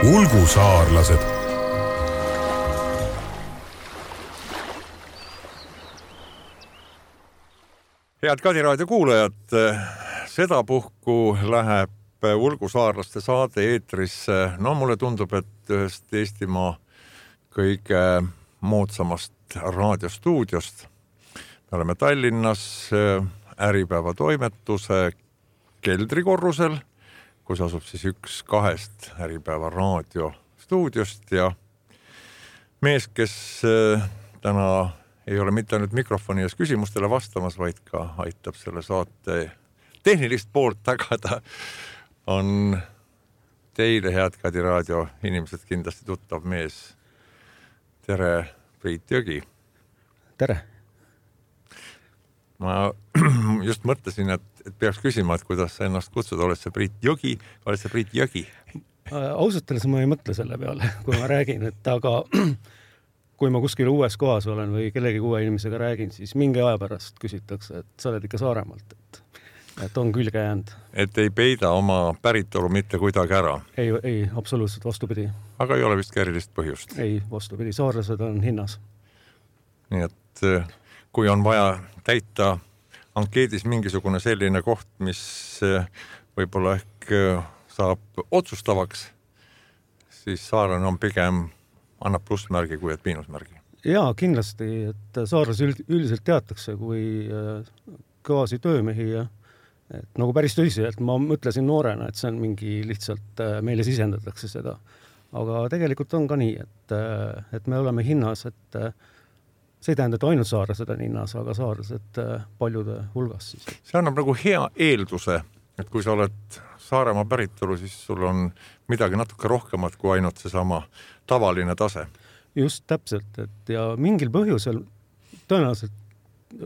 Ulgusaarlased. Head Kadiraadio kuulajad, sedapuhku läheb Ulgusaarlaste saade eetrisse. No mulle tundub, et ühest Eestimaa kõige moodsamast raadiostuudiost. Me oleme Tallinnas Äripäeva toimetuse keldrikorrusel, kus asub siis üks kahest Äripäeva raadiostuudiost ja mees, kes täna ei ole mitte ainult mikrofoni ees küsimustele vastamas, vaid ka aitab selle saate tehnilist poolt tagada, on teile, head Kadiraadio inimesed, kindlasti tuttav mees. Tere, Priit Jõgi. Tere. Ma just mõtlesin, et peaks küsima, et kuidas sa ennast kutsud, oled see Priit Jõgi, oled see Priit Jõgi? Ausatelles ma ei mõtle selle peale, kui ma räägin, et aga kui ma kuskil uues kohas olen või kellegi uue inimesega räägin, siis mingi aja pärast küsitakse, et sa oled ikka Saaremaalt, et on külge jäänud. Et ei peida oma päritolu mitte kuidagi ära? Ei, absoluutselt vastupidi. Aga ei ole vist erilist põhjust? Ei, vastupidi, saarlased on hinnas. Nii et kui on vaja täita ankeedis mingisugune selline koht, mis võib-olla ehk saab otsustavaks, siis saarlane on pigem annab plussmärgi kui et miinusmärgi. Jaa, kindlasti, et saarlas üldiselt teatakse kui kõvasi töömehi ja et nagu päris tõsiselt ma mõtlesin noorena, et see on mingi lihtsalt meile sisendatakse seda. Aga tegelikult on ka nii, et me oleme hinnas, et see ei tähenda, et ainult saarlased on hinnas, aga saarlased paljude hulgas siis. See annab nagu hea eelduse, et kui sa oled Saaremaa päritolu, siis sul on midagi natuke rohkemat kui ainult seesama tavaline tase. Just täpselt, et ja mingil põhjusel tõenäoliselt,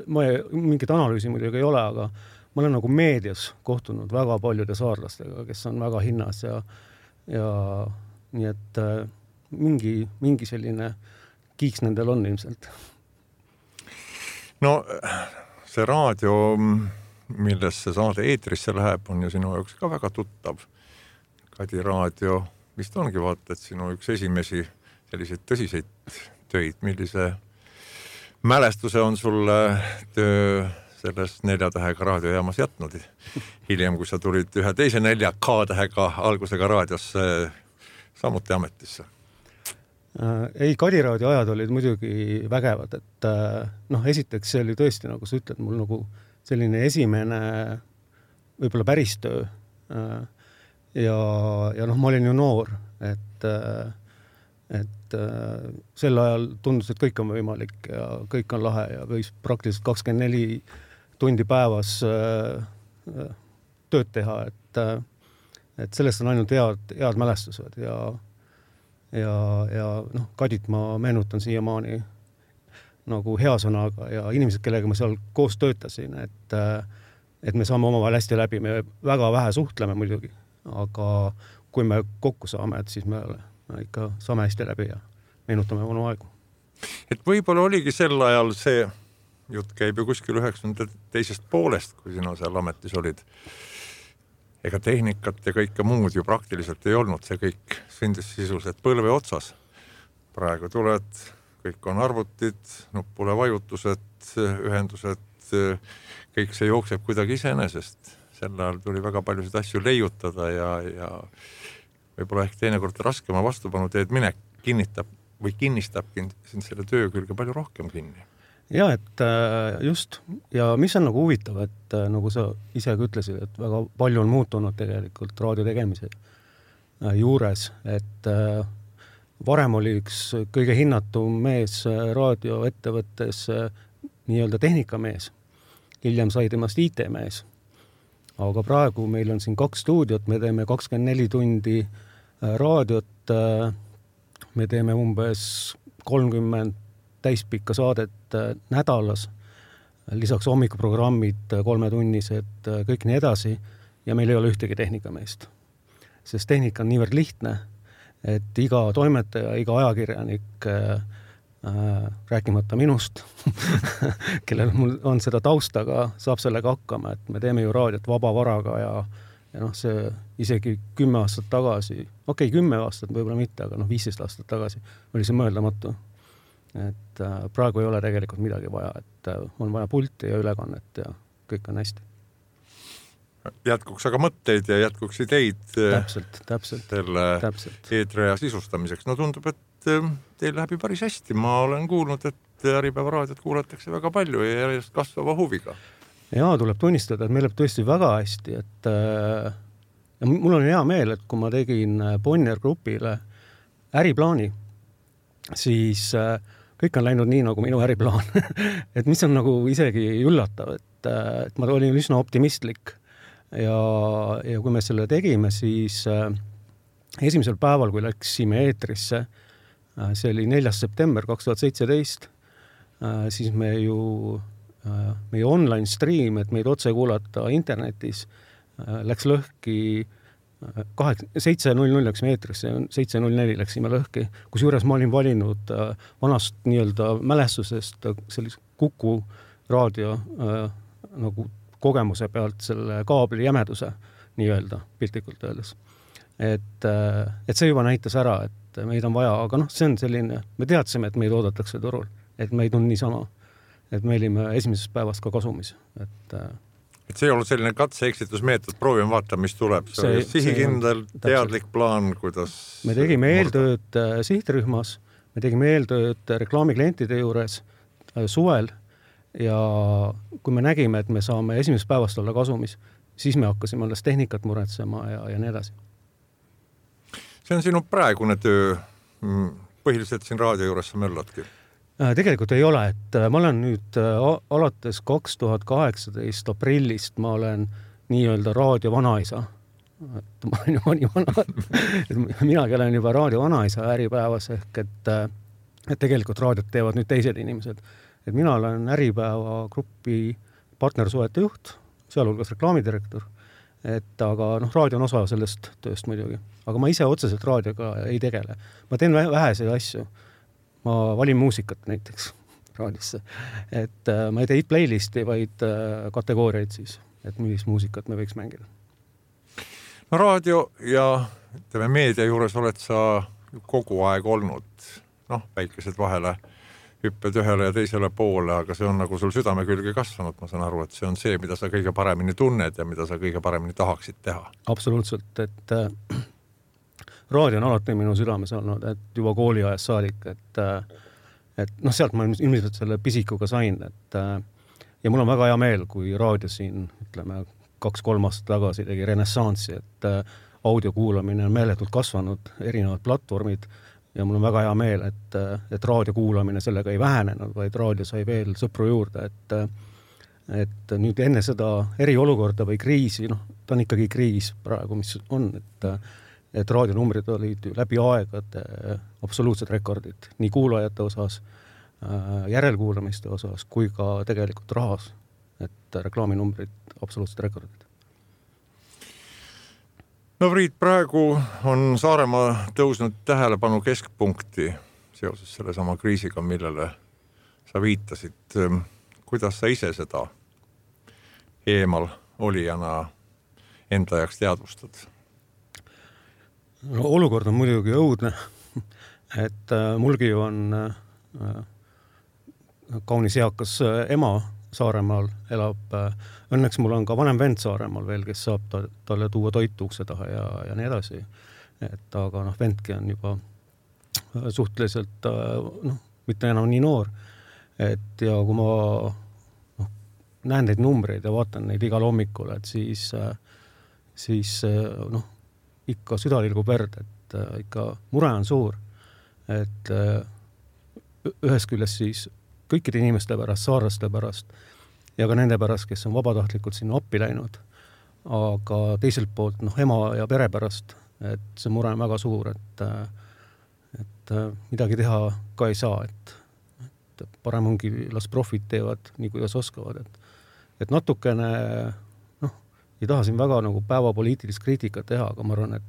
mingit analüüsi muidugi ei ole, aga ma olen nagu meedias kohtunud väga paljude saarlastega, kes on väga hinnas ja nii et mingi selline kiiks nendel on ilmselt. No see raadio, milles see saade eetrisse läheb, on ju sinu jaoks ka väga tuttav. Kadiraadio vist ongi vaata, et sinu üks esimesi selliseid tõsiseid töid, millise mälestuse on sulle töö selles 4 tähega raadiojaamas jätnud. Hiljem, kui sa tulid ühe teise 4 K-tähega algusega raadiosse samuti ametisse. Ei, Kadiraadio ajad olid muidugi vägevad, et esiteks see oli tõesti, nagu sa ütled, mul nagu selline esimene võib-olla päris töö ja ma olin ju noor, et sel ajal tundus, et kõik on võimalik ja kõik on lahe ja võis praktiliselt 24 tundi päevas tööd teha, et sellest on ainult head mälestused ja Kadit ma meenutan siiamaani nagu hea sõnaga ja inimesed, kellega ma seal koos töötasin, et me saame omavahel hästi läbi, me väga vähe suhtleme muidugi, aga kui me kokku saame, et siis me ikka saame hästi läbi ja meenutame vanu aegu. Et võib-olla oligi sel ajal see jutt käib ju kuskil 92. poolest, kui sina seal ametis olid. Ega tehnikat ja kõike muud ju praktiliselt ei olnud, see kõik sündis sisuliselt põlve otsas. Praegu tuled, kõik on arvutid, nuppule vajutused, ühendused, kõik see jookseb kuidagi iseenesest. Sel ajal tuli väga paljusid asju leiutada ja võib-olla ehk teinekord raskema vastupanu teed minek kinnistabki sind selle töö külge palju rohkem kinni. Ja, et just, ja mis on nagu huvitav, et nagu sa ise ütlesid, et väga palju on muutunud tegelikult raadio tegemise juures, et varem oli üks kõige hinnatum mees raadioettevõttes nii-öelda tehnikamees, hiljem sai temast IT-mees, aga praegu meil on siin 2 stuudiot, me teeme 24 tundi raadiot, me teeme umbes 30 täispikka saadet nädalas, lisaks hommikuprogrammid 3-tunnised, kõik nii edasi ja meil ei ole ühtegi tehnikameest. Sest tehnika on niivõrd lihtne, et iga toimetaja, iga ajakirjanik rääkimata minust, kellel mul on seda taustaga, saab sellega hakkama, et me teeme ju raadiot vaba varaga ja noh, see isegi 10 aastat tagasi, 10 aastat võib-olla mitte, aga 15 aastat tagasi oli see mõeldamatu. Et praegu ei ole tegelikult midagi vaja, et on vaja pulti ja ülekannet ja kõik on hästi. Jätkuks aga mõtteid ja jätkuks ideid selle eetriaja sisustamiseks. No tundub, et teil läheb päris hästi. Ma olen kuulnud, et Äripäeva raadiot kuulatakse väga palju ja järjest kasvava huviga. Jaa, tuleb tunnistada, et meil läheb tõesti väga hästi, et ja mul on hea meel, et kui ma tegin Bonnier Grupile äriplaani, siis kõik on läinud nii, nagu minu äriplaan. Et mis on nagu isegi üllatav, et ma olin üsna optimistlik ja kui me selle tegime, siis esimesel päeval, kui läksime eetrisse, see oli 4. september 2017, siis meie online stream, et meid otse kuulata internetis, läks lõhki 7.00 läksime eetrisse, 7.04 läksime lõhki, kusjuures ma olin valinud vanast nii-öelda mälestusest sellise Kuku raadio nagu kogemuse pealt selle kaabli jämeduse nii-öelda piltlikult öeldes. Et see juba näitas ära, et meid on vaja, aga see on selline, me teadsime, et meid oodatakse turul, et meid on niisama, et me olime esimesest päevast ka kasumis. Et see ei olnud selline katse-eksitusmeetod, proovime vaata, mis tuleb. See sihikindel, teadlik plaan, kuidas... Me tegime eeltööd sihtrühmas, me tegime eeltööd reklaamiklientide juures suvel ja kui me nägime, et me saame esimesest päevast olla kasumis, siis me hakkasime alles tehnikat muretsema ja nii edasi. See on sinu praegune töö, põhiliselt siin raadio juures sa mölladki? Tegelikult ei ole, et ma olen nüüd alates 2018 aprillist, ma olen nii-öelda raadio vanaisa. Et ma olen juba nii vana, et minagi olen juba raadio vanaisa Äripäevas ehk et tegelikult raadiot teevad nüüd teised inimesed. Et mina olen Äripäeva grupi partnersuhete juht, sealhulgas reklaamidirektor, et aga raadio on osa sellest tööst muidugi. Aga ma ise otseselt raadioga ei tegele. Ma teen väheseid asju. Ma valin muusikat näiteks raadiosse. Et ma ei tee playlisti, vaid kategooriaid siis, et millist muusikat me võiks mängida. No raadio ja meedia juures oled sa kogu aeg olnud. Väikesed vahele hüpped ühele ja teisele poole, aga see on nagu sul südame külge kasvanud. Ma saan aru, et see on see, mida sa kõige paremini tunned ja mida sa kõige paremini tahaksid teha. Absoluutselt, et raadio on alati minu südames olnud, et juba kooliajas saadik, et sealt ma ilmselt selle pisikuga sain, ja mul on väga hea meel, kui raadio siin, ütleme, 2-3 aastat tagasi tegi renessansi, et audio kuulamine on meeletult kasvanud, erinevad platvormid, ja mul on väga hea meel, et raadio kuulamine sellega ei vähenenud, vaid raadio sai veel sõpru juurde, et nüüd enne seda eriolukorda või kriisi, ta on ikkagi kriis praegu, mis on, et raadionumbrid olid läbi aegade absoluutsed rekordid, nii kuulajate osas, järelkuulamiste osas, kui ka tegelikult rahas, et reklaaminumbrid absoluutsed rekordid. No Priit, praegu on Saaremaa tõusnud tähelepanu keskpunkti seoses selle sama kriisiga, millele sa viitasid. Kuidas sa ise seda eemal olijana enda jaoks teadvustad? Olukord on muidugi õudne, et mulgi on kaunis eakas ema Saaremaal elab. Õnneks mul on ka vanem vend Saaremaal veel, kes saab talle tuua toitu ukse taha ja nii edasi. Et aga vendki on juba suhteliselt mitte enam nii noor. Et ja kui ma näen neid numbreid ja vaatan neid igal hommikul, et siis ikka süda tilgub verd, et ikka mure on suur. Et ühest küljest siis kõikide inimeste pärast, saarlaste pärast ja ka nende pärast, kes on vabatahtlikult sinna appi läinud. Aga teiselt poolt ema ja pere pärast, et see mure on väga suur, et midagi teha ka ei saa, et parem ongi las profid teevad nii, kuidas oskavad. Et natukene, ei taha siin väga nagu päevapoliitilist kriitikat teha, aga ma arvan,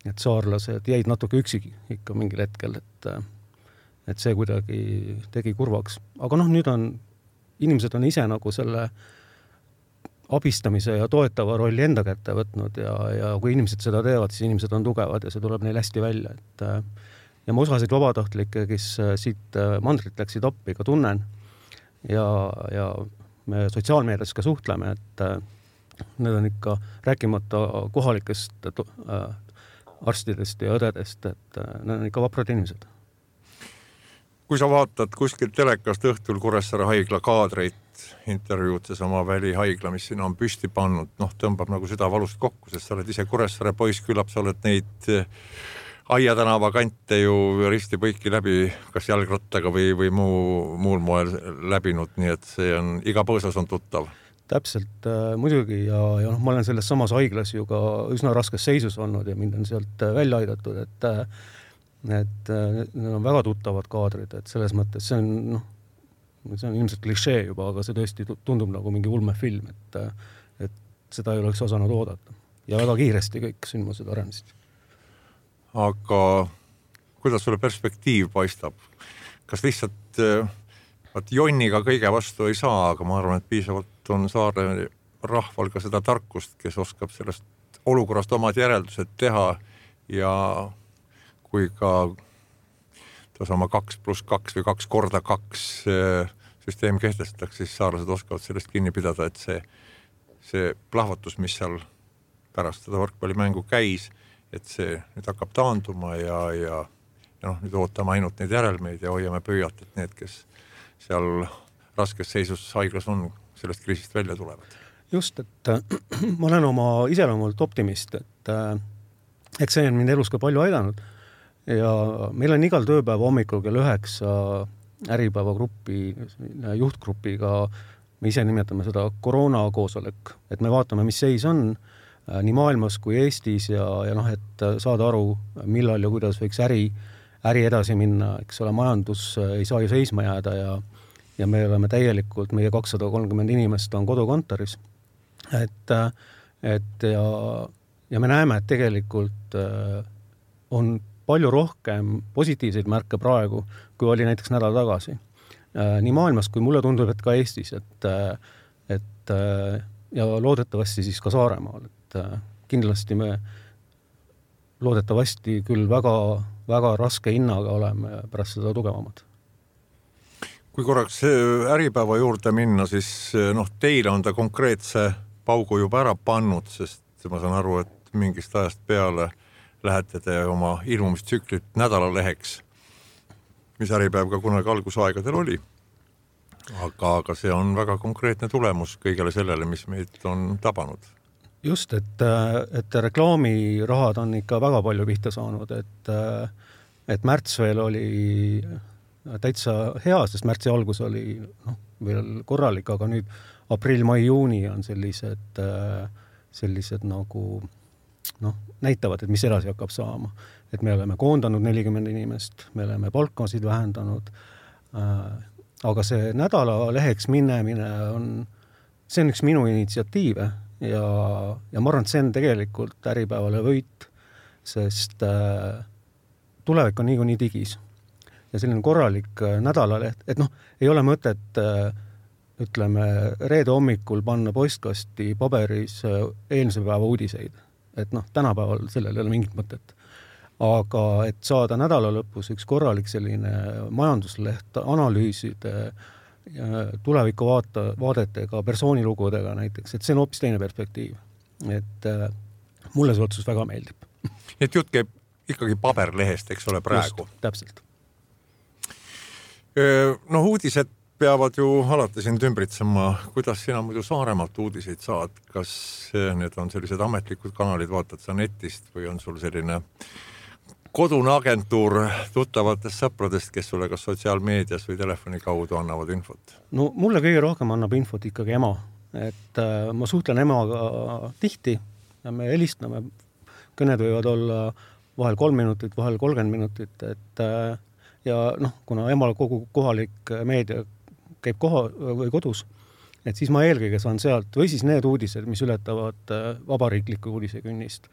et saarlased jäid natuke üksi ikka mingil hetkel, et see kuidagi tegi kurvaks. Aga nüüd inimesed on ise nagu selle abistamise ja toetava rolli enda kätte võtnud ja kui inimesed seda teevad, siis inimesed on tugevad ja see tuleb neil hästi välja, et ja ma osasid vabatahtlikke, kes siit mandrit läksid appi, ka tunnen ja me sotsiaalmeedias ka suhtleme, et need on ikka rääkimata kohalikest arstidest ja õdedest, et need on ikka vaprad inimesed. Kui sa vaatad kuskilt telekast õhtul Kuressaare haigla kaadreid, intervjuud seesama välihaigla, mis siin on püsti pannud, tõmbab nagu süda valust kokku, sest sa oled ise Kuressaare poiss, küllap sa oled neid Aia tänava kante ju risti põiki läbi, kas jalgrattaga või muul moel läbinud, nii et see on, iga põõsas on tuttav. Täpselt, muidugi ja ma olen selles samas haiglas ju ka üsna raskes seisus olnud ja mind on sealt välja aidatud, et need on väga tuttavad kaadrid, et selles mõttes see on ilmselt klišee juba, aga see tõesti tundub nagu mingi ulmefilm, et seda ei oleks osanud oodata. Ja väga kiiresti kõik sündmused arenesid. Aga kuidas sulle perspektiiv paistab? Kas lihtsalt jonniga kõige vastu ei saa, aga ma arvan, et piisavalt on saare rahval ka seda tarkust, kes oskab sellest olukorrast omad järeldused teha ja kui ka sama 2+2 või 2x2 süsteem kehtestatakse, siis saarlased oskavad sellest kinni pidada, et see plahvatus, mis seal pärast seda võrkpallimängu käis, et see nüüd hakkab taanduma ja nüüd ootame ainult neid järelmeid ja hoiame pöialt, et need, kes seal raskes seisus haiglas on, sellest kriisist välja tulevad. Just, et ma olen oma iseloomult optimist, et eks see on mind elus ka palju aidanud ja meil on igal tööpäeva hommikul kell 9 äripäevagrupi, juhtgrupiga, me ise nimetame seda koroonakoosolek, et me vaatame, mis seis on nii maailmas kui Eestis ja et saada aru, millal ja kuidas võiks äri edasi minna, eks ole, majandus ei saa ju seisma jääda ja me oleme täielikult, meie 230 inimest on kodukontoris, et ja me näeme, et tegelikult on palju rohkem positiivseid märke praegu, kui oli näiteks nädal tagasi. Nii maailmas, kui mulle tundub, et ka Eestis, et ja loodetavasti siis ka Saaremaal, et kindlasti me loodetavasti küll väga, väga raske hinnaga oleme pärast seda tugevamad. Kui korraks äripäeva juurde minna, siis teile on ta konkreetse paugu juba ära pannud, sest ma saan aru, et mingist ajast peale lähete te oma ilmumistsüklit nädalaleheks, mis äripäev ka kunagi algusaegadel oli. Aga see on väga konkreetne tulemus kõigele sellele, mis meid on tabanud. Just, et reklaamirahad on ikka väga palju pihta saanud, et märts veel oli täitsa hea, sest märtsi algus oli veel korralik, aga nüüd aprill, mai, juuni on sellised nagu näitavad, et mis edasi hakkab saama. Et me oleme koondanud 40 inimest, me oleme palkasid vähendanud, aga see nädalaleheks minemine see on üks minu initsiatiive ja ma arvan, et see on tegelikult äripäevale võit, sest tulevik on nii digis. Ja selline korralik nädalaleht, et ei ole mõtet, ütleme, reede hommikul panna postkasti paberis eelmise päeva uudiseid. Et tänapäeval sellel ei ole mingit mõtet. Aga et saada nädala lõpus üks korralik selline majandusleht, analüüside, tuleviku vaadetega, persoonilugudega näiteks, et see on hoopis teine perspektiiv. Et mulle see otsus väga meeldib. Et jutt käib ikkagi paberlehest, eks ole, praegu. Just, täpselt. Uudised peavad ju alati sind ümbritsema. Kuidas sina muidu Saaremaalt uudiseid saad? Kas need on sellised ametlikud kanalid, vaatad sa netist või on sul selline kodune agentuur tuttavatest sõpradest, kes sulle kas sotsiaalmeedias või telefoni kaudu annavad infot? Mulle kõige rohkem annab infot ikkagi ema. Et ma suhtlen emaga tihti ja me helistame. Kõned võivad olla vahel 3 minutit, vahel 30 minutit. Ja kuna emal kogu kohalik meedia käib või kodus, et siis ma eelkõige saan sealt, või siis need uudised, mis ületavad vabariikliku uudisekünnist.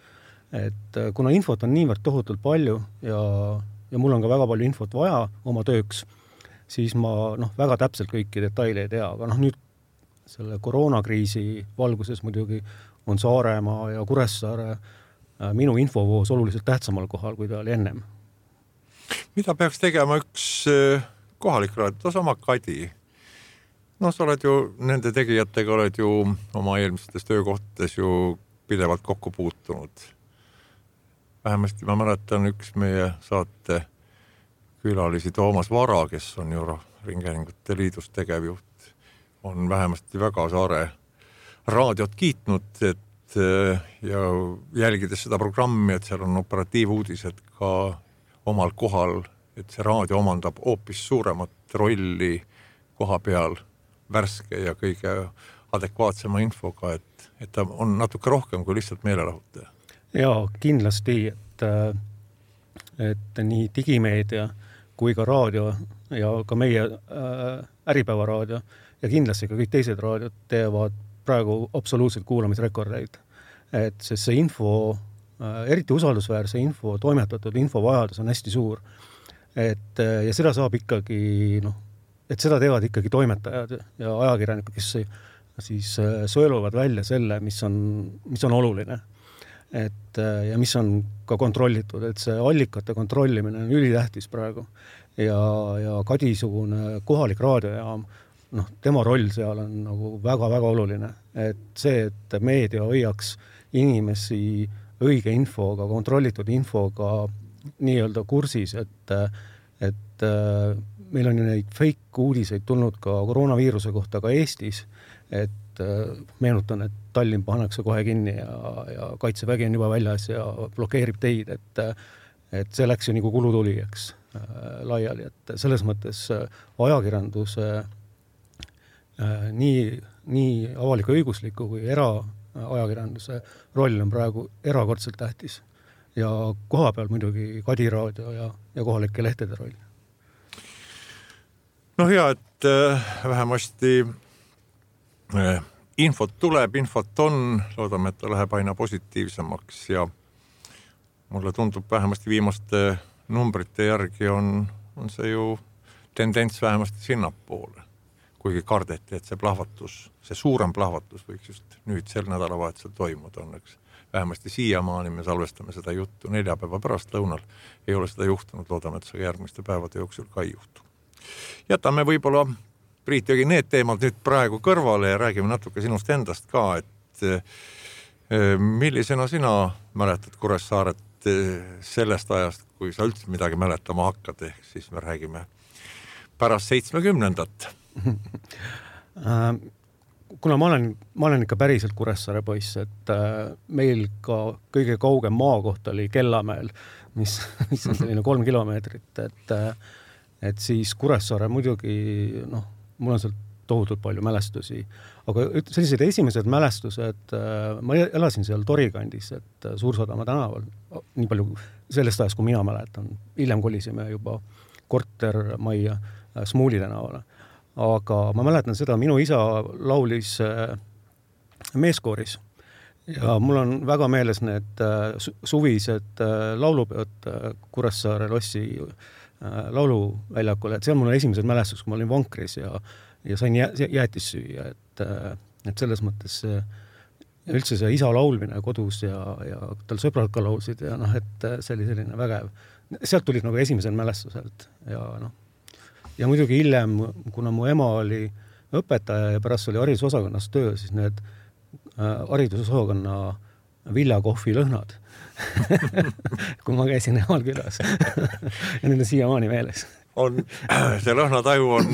Et kuna infot on niivõrd tohutult palju ja mul on ka väga palju infot vaja oma tööks, siis ma väga täpselt kõiki detaile ei tea, aga nüüd selle koroonakriisi valguses muidugi on Saaremaa ja Kuressaare minu infovoos oluliselt tähtsamal kohal, kui ta oli ennem. Mida peaks tegema üks kohalik raadio, sama Kadi? No sa oled ju, nende tegijatega oled ju oma eelmistes töökohtades ju pidevalt kokku puutunud. Vähemasti ma mäletan üks meie saate külalisi Toomas Vara, kes on ju Ringhäälingute Liidus tegevjuht, on vähemasti väga Saare raadiot kiitnud, et ja jälgides seda programmi, et seal on operatiivuudised ka omal kohal, et see raadio omandab hoopis suuremat rolli koha peal, värske ja kõige adekvaatsema infoga, et ta on natuke rohkem kui lihtsalt meelelahutaja. Jaa, kindlasti, et nii digimeedia kui ka raadio ja ka meie Äripäeva raadio ja kindlasti ka kõik teised raadiod teevad praegu absoluutselt kuulamisrekordeid. Et see info, eriti usaldusväärse info, toimetatud infovajadus on hästi suur. Ja seda saab ikkagi, et seda teevad ikkagi toimetajad ja ajakirjanikud, kes siis sõeluvad välja selle, mis on oluline. Ja mis on ka kontrollitud, et see allikate kontrollimine on ülitähtis praegu. Ja Kadisugune kohalik raadiojaam, tema roll seal on nagu väga-väga oluline. Et see, et meedia hoiaks inimesi õige infoga, kontrollitud infoga nii-öelda kursis, et meil on ju neid fake uudiseid tulnud ka koroonaviiruse kohta ka Eestis, et meenutan, et Tallinn pannakse kohe kinni ja kaitsevägi on juba väljas ja blokeerib teid, et see läks ju nagu kulutuli, eks, laiali, et selles mõttes ajakirjanduse nii avaliku õigusliku kui eraajakirjanduse roll on praegu erakordselt tähtis ja koha peal muidugi Kadi raadio ja kohalike lehtede roll. No hea, et vähemasti infot tuleb, infot on, loodame, et ta läheb aina positiivsemaks ja mulle tundub vähemasti viimaste numbrite järgi on see ju tendents vähemasti sinnapoole, kuigi kardeti, et see plahvatus, see suurem plahvatus võiks just nüüd sel nädalavahetusel toimuda õnneks. Vähemasti siiamaani me salvestame seda juttu 4 päeva pärast lõunal. Ei ole seda juhtunud, loodame, et see järgmiste päevade jooksul ka ei juhtu. Jätame võib-olla, Priit, jogi need teemad nüüd praegu kõrvale ja räägime natuke sinust endast ka, et millisena sina mäletad Kuressaaret sellest ajast, kui sa üldse midagi mäletama hakkad, ehk siis me räägime pärast 70-ndat. Kuna ma olen ikka päriselt Kuressaare poiss, et meil ka kõige kaugem maakoht oli Kellamäel, mis on selline 3 kilomeetrit, et siis Kuressaare muidugi, mul on sealt tohutult palju mälestusi, aga sellised esimesed mälestused, ma elasin seal Torikandis, et Suursadama tänaval, nii palju sellest ajast, kui mina mäletan, hiljem kolisime juba kortermajja Smuuli tänavale, aga ma mäletan seda, minu isa laulis meeskooris ja mul on väga meeles need suvised laulupeod Kuressaare lossi lauluväljakul, et seal mul on esimesed mälestus, kui ma olin vankris ja sain jäätis süüa, et selles mõttes üldse see isa laulmine kodus ja tal sõbrad ka laulsid ja et see oli selline vägev. Sealt tulid nagu esimesed mälestuselt ja muidugi hiljem, kuna mu ema oli õpetaja ja pärast oli haridusosakonnas töö, siis need haridusosakonna viljakohvi lõhnad kui ma käisin emal külas ja need on siiamaani meeles. See lõhnataju on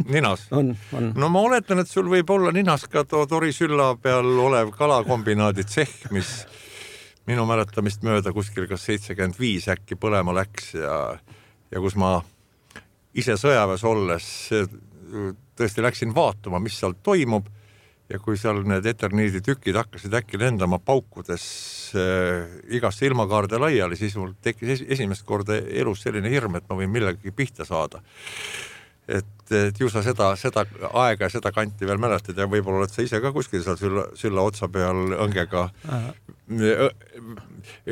ninas? On. No ma oletan, et sul võib olla ninas ka Tori sülla peal olev kalakombinaadi tsehh, mis minu mäletamist mööda kuskil kas 75 äkki põlema läks ja kus ma ise sõjaväes olles tõesti läksin vaatama, mis seal toimub. Ja kui seal need eterniidi tükid hakkasid äkki lendama paukudes igasse ilmakaarde laiali, siis mul tekkis esimest korda elus selline hirm, et ma võin millegagi pihta saada. Et ju sa seda aega ja seda kanti veel mäletad ja võib-olla oled sa ise ka kuskil seal sülla otsa peal õngega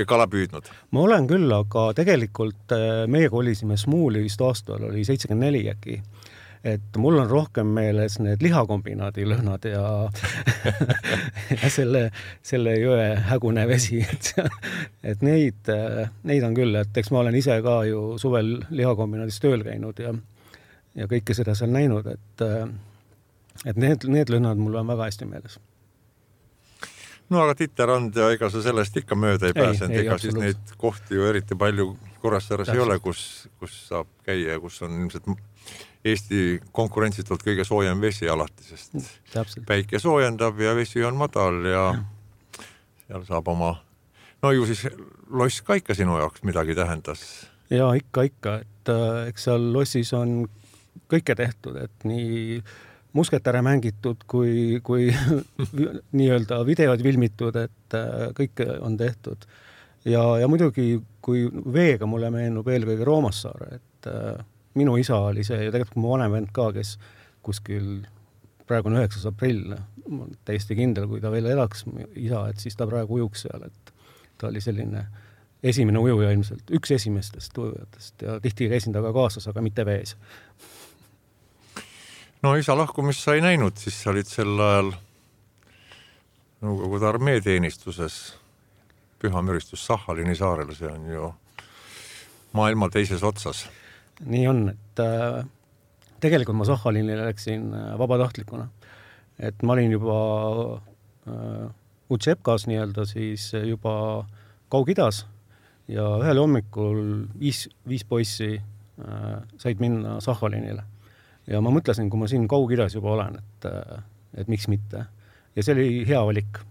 kala püüdnud. Ma olen küll, aga tegelikult meie kolisime Smuuli vist aastal oli 74 äkki. et mul on rohkem meeles need lihakombinaadi lõhnad ja, ja selle jõe hägune vesi, et neid on küll, et eks ma olen ise ka ju suvel lihakombinaadis tööl käinud ja kõike seda seal näinud, et need lõhnad mul on väga hästi meeles. No aga Titerand ja ega sa sellest ikka mööda ei pääsenud, ega siis neid kohti ju eriti palju Kuressaares ei ole, kus saab käia ja kus on ilmselt Eesti konkurentsitult kõige soojem vesi alati, sest päike soojendab ja vesi on madal ja seal saab oma, no ju siis loss ka ikka sinu jaoks midagi tähendas. Ja ikka, et eks seal lossis on kõike tehtud, et nii musketäre mängitud kui nii-öelda videod filmitud, et kõike on tehtud. Ja muidugi, kui veega mulle meenub eelkõige Roomassaare, et minu isa oli see ja tegelikult mu vanem vend ka, kes kuskil praegu on 9. aprill, ma olen täiesti kindel, kui ta veel elaks isa, et siis ta praegu ujuks seal, et ta oli selline esimene ujuja ilmselt, üks esimestest ujujatest ja tihti käisin ta ka kaasas, aga mitte vees. No isa lahkumist sa ei näinud, siis sa olid sel ajal Nõukogude armeeteenistuses Pühamüristus Sahhalini saarel, see on ju maailma teises otsas. Nii on, et tegelikult ma Sahhalinile läksin vabatahtlikuna. Et ma olin juba Utšepkas nii-öelda siis juba Kaug-Idas ja ühel hommikul viis poissi said minna Sahhalinile. Ja ma mõtlesin, kui ma siin Kaug-Idas juba olen, et miks mitte. Ja see oli hea valik.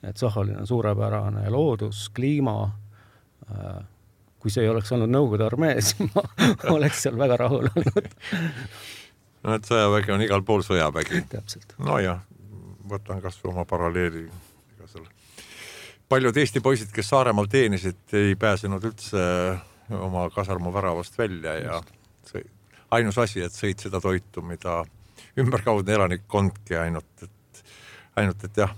Et Sahhalin on suurepärane loodus, kliima, kui see ei oleks olnud Nõukogude armee, siis ma oleks seal väga rahul olnud. No, et sõjavägi on igal pool sõjavägi. Täpselt. No jah, võtan kas oma paralleeli. Paljud Eesti poisid, kes Saaremaal teenisid, ei pääsenud üldse oma kasarmu väravast välja ja ainus asi, et sõid seda toitu, mida ümberkaudne elanikkondki ainult, et jah,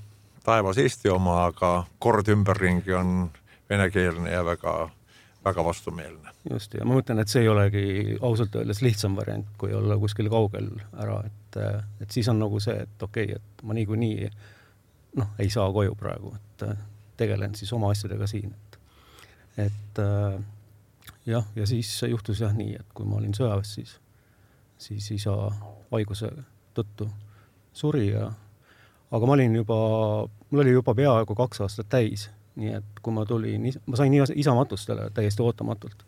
taevas Eesti oma, aga kord ümberringi on venekeelne ja väga vastumeelne. Just, ja ma mõtlen, et see ei olegi ausalt öeldes lihtsam variant, kui olla kuskil kaugel ära, et siis on nagu see, et okei, et ma niikuinii ei saa koju praegu, et tegelen siis oma asjadega siin. Et jah, ja siis juhtus jah nii, et kui ma olin sõjaväes, siis isa haiguse tõttu suri aga mul oli juba peaaegu 2 aastat täis, nii et kui ma tulin, ma sain isa matustele täiesti ootamatult.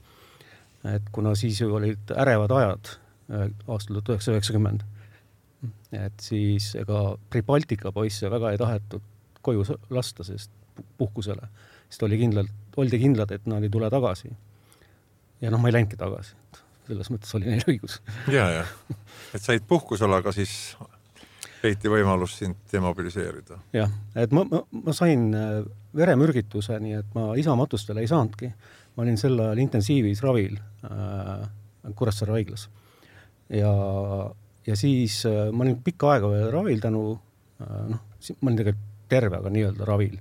Et kuna siis olid ärevad ajad aastal 1990, et siis ega Pribaltika poisse väga ei tahetud koju lasta, sest puhkusele, sest oldi kindlad, et nad ei tule tagasi. Ja ma ei läinudki tagasi, selles mõttes oli neil õigus. Ja, et said puhkusele, aga siis leiti võimalus sind demobiliseerida. Jah, et ma sain veremürgituse, nii et ma isa matustele ei saanudki. Ma olin sel ajal intensiivis ravil Kuressaare haiglas. Ja siis ma olin pikka aega veel ravil tänu, ma olin tegelikult terve, aga nii-öelda ravil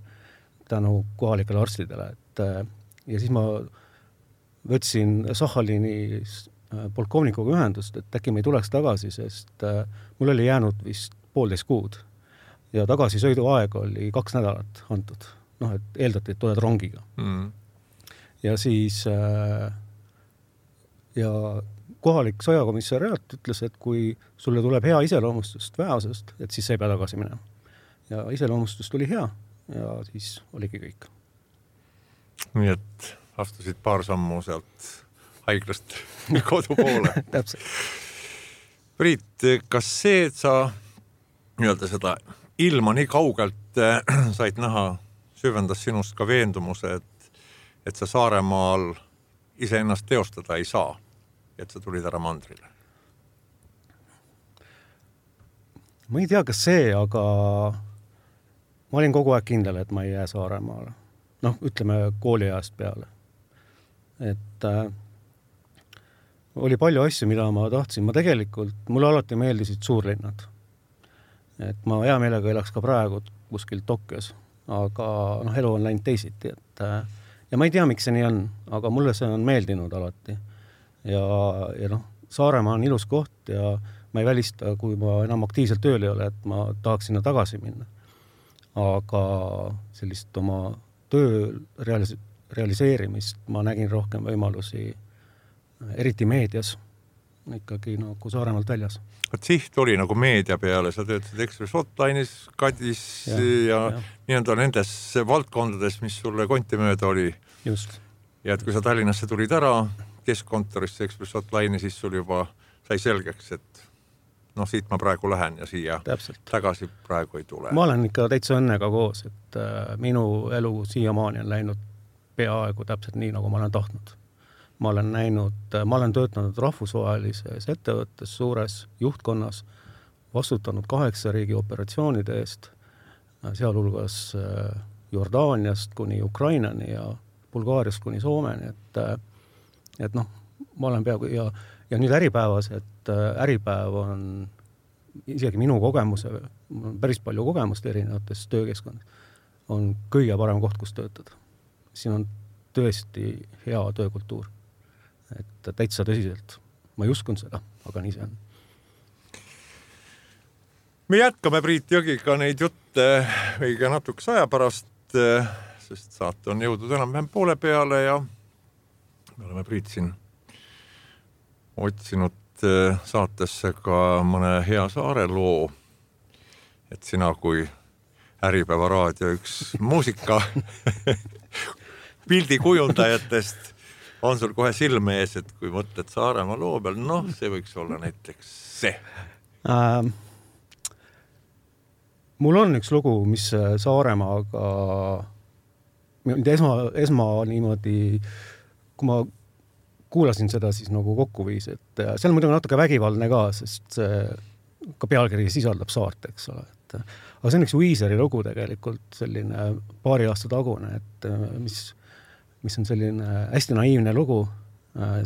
tänu kohalikele arstidele. Ja siis ma võtsin Sahhalini polkovnikuga ühendust, et äkki me ei tuleks tagasi, sest mul oli jäänud vist 1,5 kuud ja tagasisõidu aeg oli 2 nädalat antud. Et eeldati, et tuled rongiga. Ja siis ja kohalik sõjakomissariaat ütles, et kui sulle tuleb hea iseloomustust väeosast, et siis sa ei pea tagasi minema. Ja iseloomustust oli hea ja siis oligi kõik. Nii et astusid paar sammu sealt haiglast kodu poole. Täpselt. Priit, kas see, et sa nii-öelda seda ilma nii kaugelt said näha, süvendas sinust ka veendumuse, et sa Saaremaal iseennast teostada ei saa, et sa tulid ära mandrile? Ma ei tea, kas see, aga ma olin kogu aeg kindel, et ma ei jää Saaremaale. Ütleme kooliajast peale. Et oli palju asju, mida ma tahtsin. Mulle alati meeldisid suurlinnad. Et ma hea meelega elaks ka praegu kuskil Tokyos, aga elu on läinud teisiti. Ja ma ei tea, miks see nii on, aga mulle see on meeldinud alati. Ja Saaremaa on ilus koht ja ma ei välista, kui ma enam aktiivselt tööl ei ole, et ma tahaks sinna tagasi minna. Aga sellist oma töö realiseerimist ma nägin rohkem võimalusi, eriti meedias, ikkagi nagu Saaremaalt väljas. Siht oli nagu meedia peale, sa töötasid Ekspress Hotline'is, Kadis ja nii-öelda nendes valdkondades, mis sulle konti mööda oli. Just. Ja et kui sa Tallinnasse tulid ära keskkontorisse Ekspress Hotline'i, siis sul juba sai selgeks, et siit ma praegu lähen ja siia tagasi praegu ei tule. Ma olen ikka täitsa õnnega koos, et minu elu siiamaani on läinud peaaegu täpselt nii, nagu ma olen tahtnud. Ma olen töötanud rahvusvahelises ettevõttes, suures juhtkonnas, vastutanud 8 riigi operatsioonide eest, sealhulgas Jordaaniast kuni Ukrainani ja Bulgaariast kuni Soomeni, et ma olen peaaegu ja nüüd Äripäevas, et Äripäev on isegi minu kogemuse, päris palju kogemust erinevates töökeskkond, on kõige parem koht, kus töötada. Siin on tõesti hea töökultuur. Et täitsa tõsiselt. Ma ei uskunud seda, aga nii see on. Me jätkame Priit Jõgiga neid jutte õige natukese aja pärast, sest saate on jõudnud enam-vähem poole peale ja me oleme Priit siin otsinud saatesse ka mõne hea Saare loo, et sina kui Äripäeva raadio üks muusika pildikujundajatest on sul kohe silme ees, et kui mõtled Saaremaa loo peal, see võiks olla näiteks see. Mul on üks lugu, mis Saaremaaga esma niimoodi, kui ma kuulasin seda, siis nagu kokku viis, et seal on muidugi natuke vägivaldne ka, sest ka pealkiri sisaldab saart, eks ole. Aga see on üks Weezeri lugu tegelikult, selline paari aasta tagune, et mis on selline hästi naiivne lugu,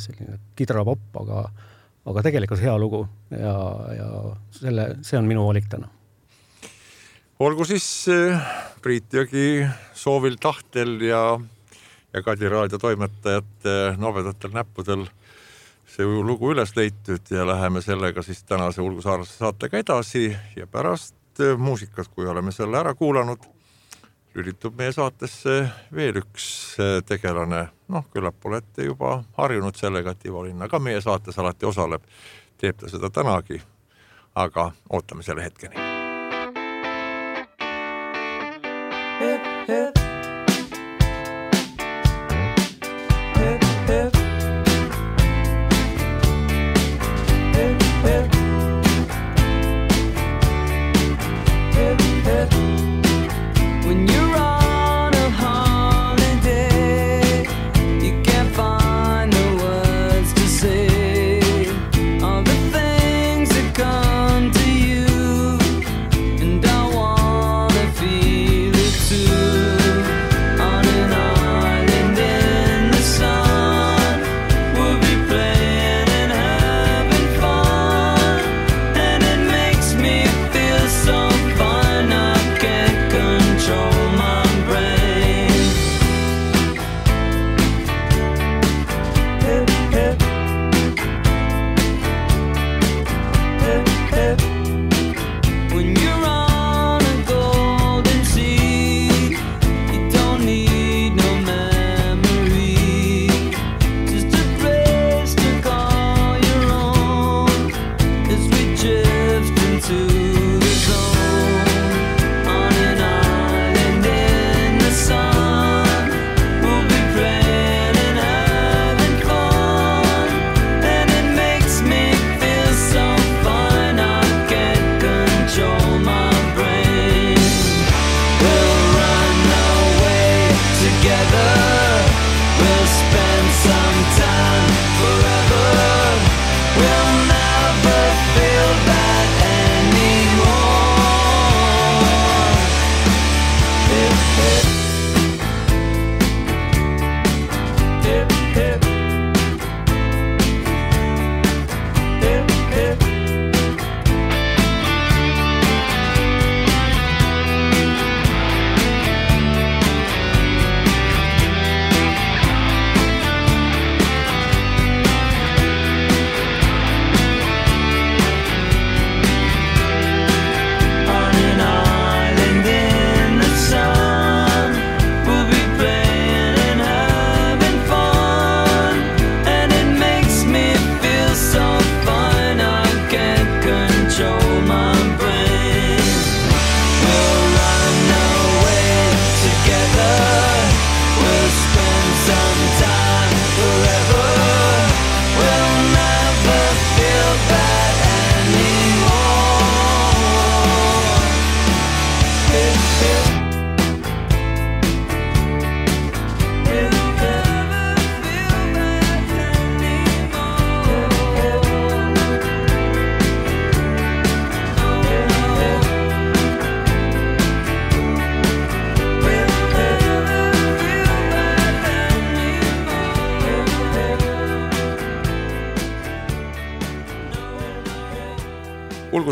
selline kidrapopp, aga tegelikult hea lugu ja see on minu valik täna. Olgu siis Priit Jõgi soovil tahtel ja Kadi raadio toimetajate nobedatel näppudel see lugu üles leitud ja läheme sellega siis tänase Ulgu Saarlase saatega edasi ja pärast muusikat, kui oleme selle ära kuulanud, lülitub meie saatesse veel üks tegelane. Küllap olete juba harjunud sellega, et Ivo Linna ka meie saates alati osaleb. Teeb ta seda tänagi, aga ootame selle hetkeni. Too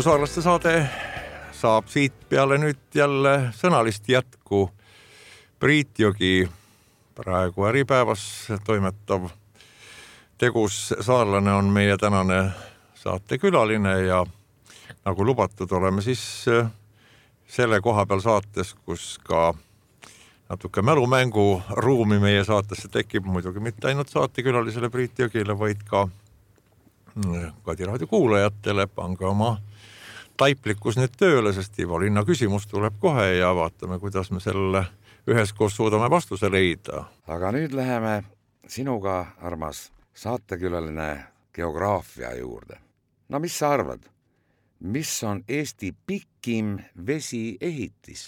Ulgusaarlaste saade saab siit peale nüüd jälle sõnalist jätku. Priit Jõgi, praegu Äripäevas toimetav tegus saarlane on meie tänane saatekülaline ja nagu lubatud oleme siis selle koha peal saates, kus ka natuke mälumängu ruumi meie saatesse tekib, muidugi mitte ainult saatekülalisele Priit Jõgile, vaid ka Kadi raadio kuulajatele. Pange oma taiplikkus nüüd tööle, sest Ivo Linna küsimus tuleb kohe ja vaatame, kuidas me selle üheskoos suudame vastuse leida. Aga nüüd läheme sinuga, armas saatekülaline, geograafia juurde. No mis sa arvad? Mis on Eesti pikim vesiehitis?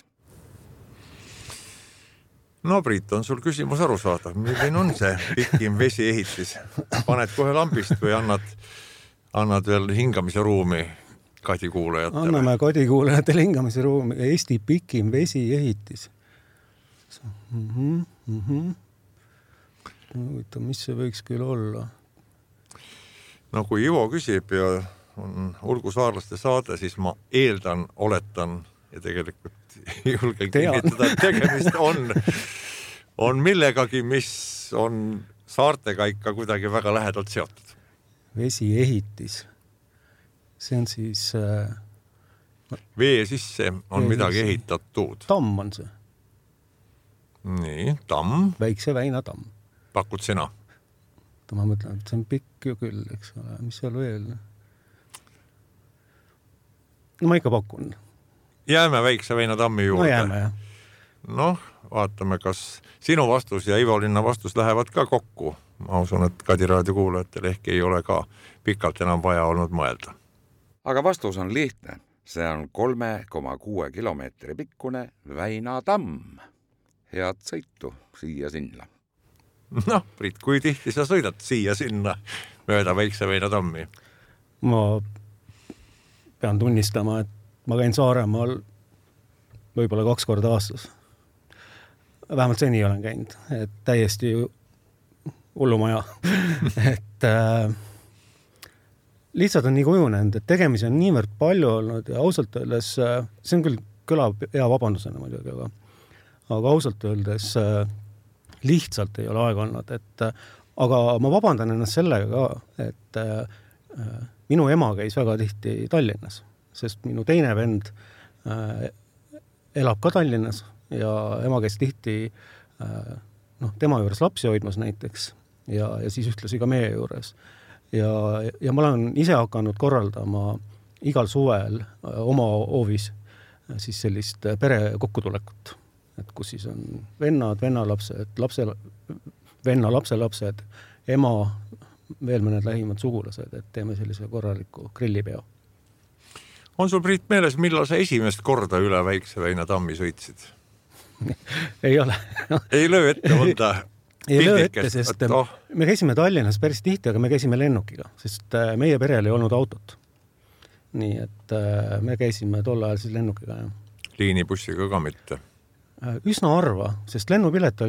No Priit, on sul küsimus aru saada, milline on see pikim vesiehitis? Paned kohe lambist või annad veel hingamise ruumi Kadi kuulajatele? Anname Kadi kuulajatele hingamise ruumi. Eesti pikim vesiehitis. Mis see võiks küll olla? No kui Ivo küsib ja on Ulgusaarlaste saade, siis ma eeldan, oletan ja tegelikult julgen kinnitada, et tegemist on millegagi, mis on saartega ikka kuidagi väga lähedalt seotud. Vesiehitis. See on siis... Vee sisse on midagi ehitatud. Tamm on see. Nii, tamm. Väikse Väina tamm. Pakud sina? Ma mõtlen, et see on pikk ju küll, eks ole. Mis seal veel? No ma ikka pakun. Jääme Väikse Väina tammi juurde. No jääme, jah. Noh, vaatame, kas sinu vastus ja Ivo Linna vastus lähevad ka kokku. Ma usun, et Kadi raadio kuulajatel ehk ei ole ka pikalt enam vaja olnud mõelda. Aga vastus on lihtne. See on 3,6 kilomeetri pikkune Väina tamm. Head sõitu siia-sinna. Noh, Priit, kui tihti sa sõidad siia-sinna mööda Väikse Väina tammi? Ma pean tunnistama, et ma käin Saaremaal võib-olla 2 korda aastas. Vähemalt seni olen käinud, et täiesti hullumaja. Et lihtsalt on nii kujunenud, et tegemisi on niivõrd palju olnud ja ausalt öeldes, see on küll kõlab hea vabandusena muidugi, aga ausalt öeldes lihtsalt ei ole aega olnud. Aga ma vabandan ennast sellega ka, et minu ema käis väga tihti Tallinnas, sest minu teine vend elab ka Tallinnas ja ema käis tihti tema juures lapsi hoidmas näiteks ja siis ühtlasi ka meie juures. Ja ma olen ise hakanud korraldama igal suvel oma hoovis siis sellist pere kokkutulekut, et kus siis on vennad, vennalapsed, venna lapselapsed, ema, veel mõned lähimad sugulased, et teeme sellise korraliku grillipeo. On sul, Priit, meeles, millal sa esimest korda üle Väikse Väina tammi sõitsid? Ei ole. Ei löö ette mõnda ei löö ette, sest me käisime Tallinnas päris tihti, aga me käisime lennukiga, sest meie perel ei olnud autot. Nii, et me käisime tol ajal siis lennukiga. Liinibussiga ka mitte? Üsna arva, sest lennukipilet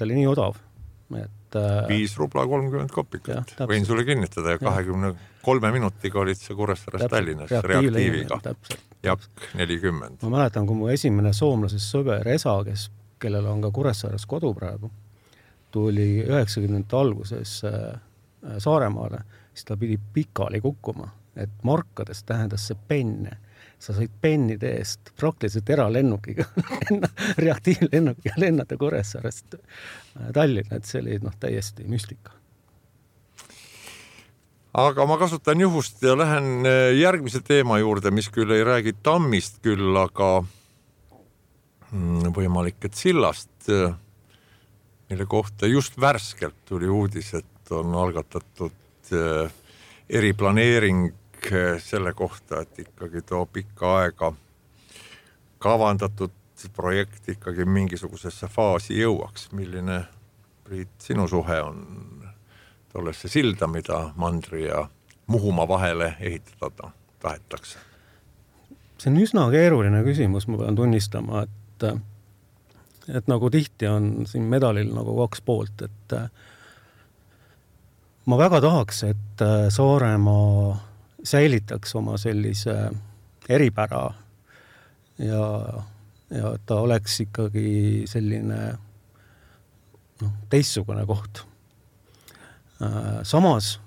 oli nii odav. Et 5 rubla 30 kopikat. Võin sulle kinnitada ja 23 minutiga olid see Kuressaares Tallinnas reaktiiviga. Jak 40. Ma mäletan, kui mu esimene soomlases sõber Esa, kellel on ka Kuressaares kodu praegu, tuli 90. alguses Saaremaale, siis ta pidi pikali kukkuma, et markades tähendas see penne. Sa said pennide eest praktiliselt eralennukiga, reaktiivlennukiga lennata Kuressaarest Tallinna, et see oli täiesti müstika. Aga ma kasutan juhust ja lähen järgmise teema juurde, mis küll ei räägi tammist küll, aga võimalik, et sillast, mille kohta just värskelt tuli uudis, et on algatatud eriplaneering selle kohta, et ikkagi too pikka aega kavandatud projekt ikkagi mingisugusesse faasi jõuaks. Milline, Priit, sinu suhe on tollesse silda, mida Mandri ja Muhumaa vahele ehitada tahetakse? See on üsna keeruline küsimus, ma pean tunnistama, et nagu tihti on siin medalil nagu 2 poolt, et ma väga tahaks, et Saaremaa säilitaks oma sellise eripära ja ta oleks ikkagi selline teistsugune koht. Samas,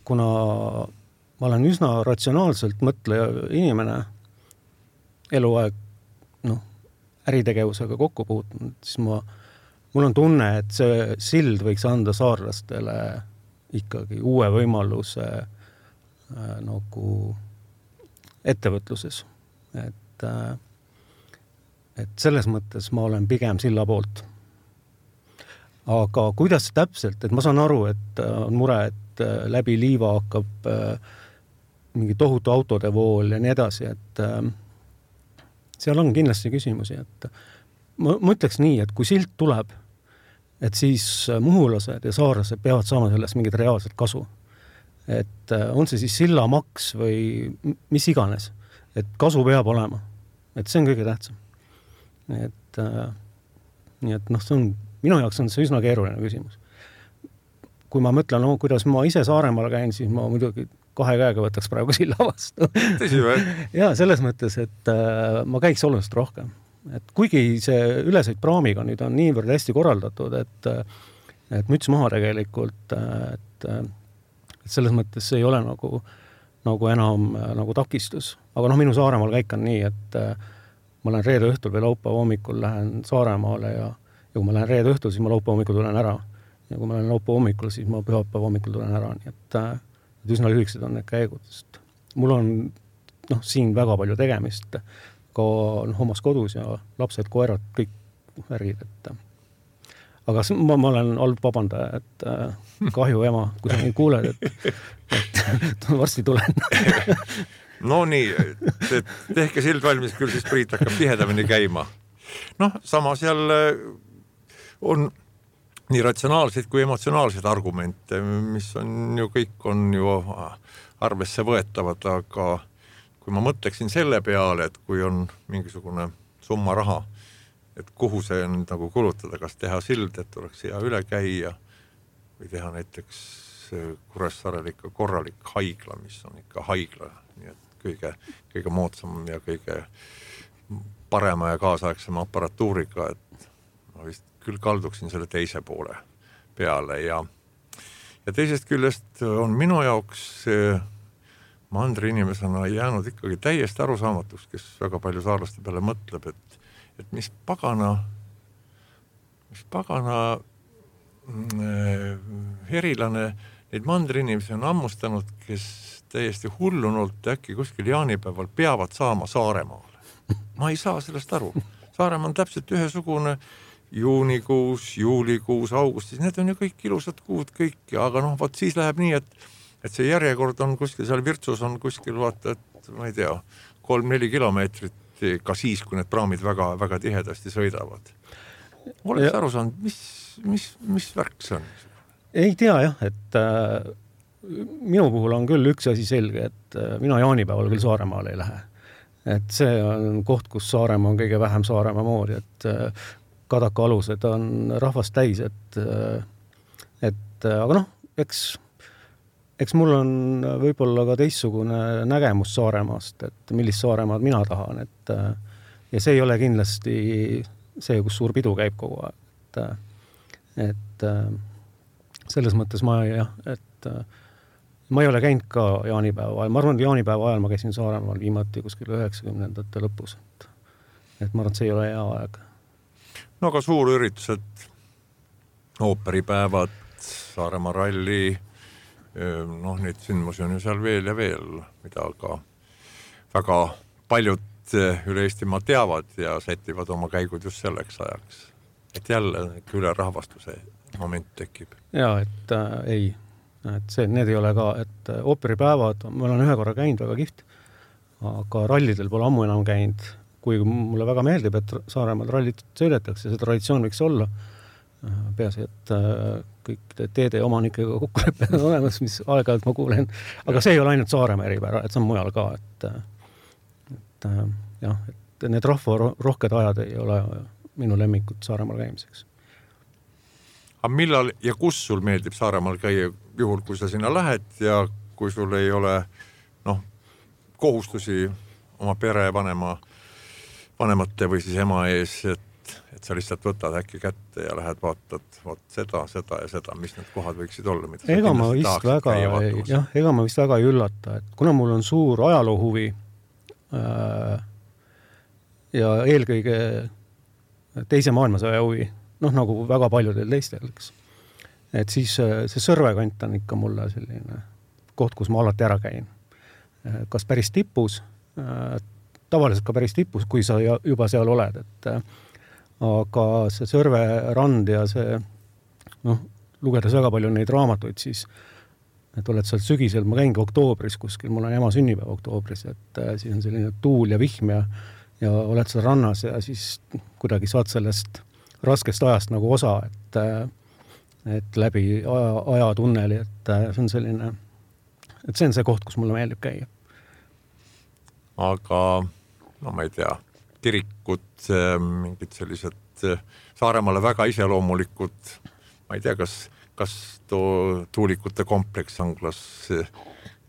kuna ma olen üsna ratsionaalselt mõtleja inimene, eluaeg äritegevusega kokku puutunud, siis mul on tunne, et see sild võiks anda saarlastele ikkagi uue võimaluse nagu ettevõtluses. Et selles mõttes ma olen pigem silla poolt. Aga kuidas täpselt, et ma saan aru, et on mure, et läbi liiva hakkab mingi tohutu autode vool ja nii edasi, et seal on kindlasti küsimusi, et ma ütleks nii, et kui silt tuleb, et siis muhulased ja saarlased peavad saama sellest mingit reaalset kasu. Et on see siis sillamaks või mis iganes, et kasu peab olema. Et see on kõige tähtsam. Et see on, minu jaoks on see üsna keeruline küsimus. Kui ma mõtlen, kuidas ma ise Saaremaal käin, siis ma muidugi 2 käega võtaks praegu silla vastu. Tõsi või? Ja selles mõttes, et ma käiks oluliselt rohkem. Et kuigi see ülesõit praamiga nüüd on niivõrd hästi korraldatud, et müts maha tegelikult, et selles mõttes see ei ole nagu enam nagu takistus. Aga minu Saaremaal käik on nii, et ma lähen reede õhtul või laupäeva hommikul lähen Saaremaale ja kui ma lähen reede õhtul, siis ma laupäeva hommikul tulen ära. Ja kui ma lähen laupäeva hommikul, siis ma pühapäeva hommikul tulen ära. Nii et üsna lühikesed on need käigud. Mul on siin väga palju tegemist, ka omas kodus ja lapsed, koerad, kõik värgid. Aga ma olen halb vabandaja, et kahju ema, kui sa neid kuuled, et varsti tulen. No nii, tehke sild valmis, küll siis Priit hakkab tihedamini käima. Samas jälle on nii ratsionaalseid kui emotsionaalseid argumente, mis on ju kõik on ju arvesse võetavad, aga kui ma mõtleksin selle peale, et kui on mingisugune summa raha, et kuhu see on nagu kulutada, kas teha sild, et oleks hea üle käia või teha näiteks Kuressaarel ikka korralik haigla, mis on ikka haigla, nii et kõige moodsam ja kõige parema ja kaasaegsema aparatuuriga, et ma vist küll kalduksin selle teise poole peale ja teisest küljest on minu jaoks mandri inimesena jäänud ikkagi täiesti arusaamatuks, kes väga palju saarlaste peale mõtleb, et mis pagana herilane neid mandri inimesi on ammustanud, kes täiesti hullunult äkki kuskil jaanipäeval peavad saama Saaremaale. Ma ei saa sellest aru. Saaremaa on täpselt ühesugune juunikuus, juulikuus, augustis, need on ju kõik ilusad kuud kõik, aga vaat siis läheb nii, et see järjekord on kuskil, seal Virtsus on kuskil, vaata, et ma ei tea, 3-4 kilomeetrit, ka siis, kui need praamid väga, väga tihedasti sõidavad. Oleks aru saanud, mis värk see on? Ei tea jah, et minu puhul on küll üks asi selge, et mina jaanipäeval küll Saaremaale ei lähe. Et see on koht, kus Saaremaa on kõige vähem Saaremaa moodi, et Kadaka alused on rahvast täis, aga eks mul on võib-olla ka teistsugune nägemus Saaremaast, et millist Saaremaad mina tahan, ja see ei ole kindlasti see, kus suur pidu käib kogu aeg, et selles mõttes ma ei ole käinud ka jaanipäeva ajal, ma arvan, et jaanipäeva ajal ma käisin Saaremaal viimati kuskil 90ndate lõpus, et ma arvan, et see ei ole hea aeg. No aga suurüritused, ooperipäevad, Saaremaa ralli, neid sündmusi on ju seal veel ja veel, mida ka väga paljud üle Eestimaa teavad ja sätivad oma käigud just selleks ajaks. Et jälle ülerahvastuse moment tekib. Ja, et ei, et need ei ole ka, et ooperipäevad, ma olen ühe korra käinud väga kihvt, aga rallidel pole ammu enam käinud, kui mulle väga meeldib, et Saaremaal rallit sõidetakse, see traditsioon võiks olla. Peaasi, et kõik teede omanikega kokkulepped on olemas, mis aeg-ajalt ma kuulen. Aga see ei ole ainult Saaremaa eripära, et see on mujal ka. Et need rahva rohked ajad ei ole minu lemmikud Saaremaal käimiseks. Aga millal ja kus sul meeldib Saaremaal käia juhul, kui sa sinna lähed ja kui sul ei ole kohustusi oma pere vanemate või siis ema ees, et sa lihtsalt võtad äkki kätte ja lähed vaatad seda ja seda, mis need kohad võiksid olla, mida ega ma vist väga ei üllata, et kuna mul on suur ajaloohuvi ja eelkõige teise maailmasõja huvi, nagu väga paljudel teistel, eks. Et siis see Sõrvekant on ikka mulle selline koht, kus ma alati ära käin. Kas päris tipus, tavaliselt ka päris tipus, kui sa juba seal oled, et aga see Sõrve rand ja see, lugedes väga palju neid raamatuid, siis et oled seal sügisel, ma käingi oktoobris kuskil, mul on ema sünnipäev oktoobris, et siis on selline tuul ja vihm ja oled seal rannas ja siis kuidagi saad sellest raskest ajast nagu osa, et läbi ajatunneli, et see on selline, et see on see koht, kus mulle meeldib käia. Aga, ma ei tea, kirikud, mingid sellised Saaremaale väga iseloomulikud, ma ei tea, kas tuulikute kompleks Anglas,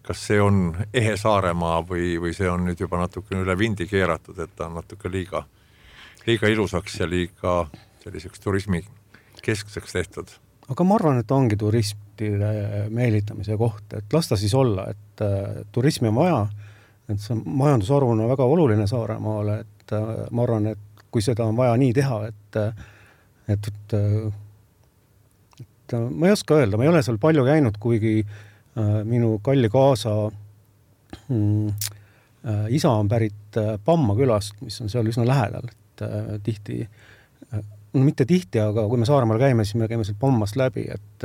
kas see on ehe Saaremaa või see on nüüd juba natuke üle vindi keeratud, et ta on natuke liiga ilusaks ja liiga selliseks turismi keskseks tehtud. Aga ma arvan, et ongi turistide meelitamise koht, et lasta siis olla, et turismi on vaja, et see majandusarv on väga oluline Saaremaale, et ma arvan, et kui seda on vaja nii teha, et ma ei oska öelda, ma ei ole seal palju käinud, kuigi minu kalli kaasa isa on pärit Pamma külast, mis on seal üsna lähedal, et tihti, mitte tihti, aga kui me Saaremaal käime, siis me käime seal Pammast läbi, et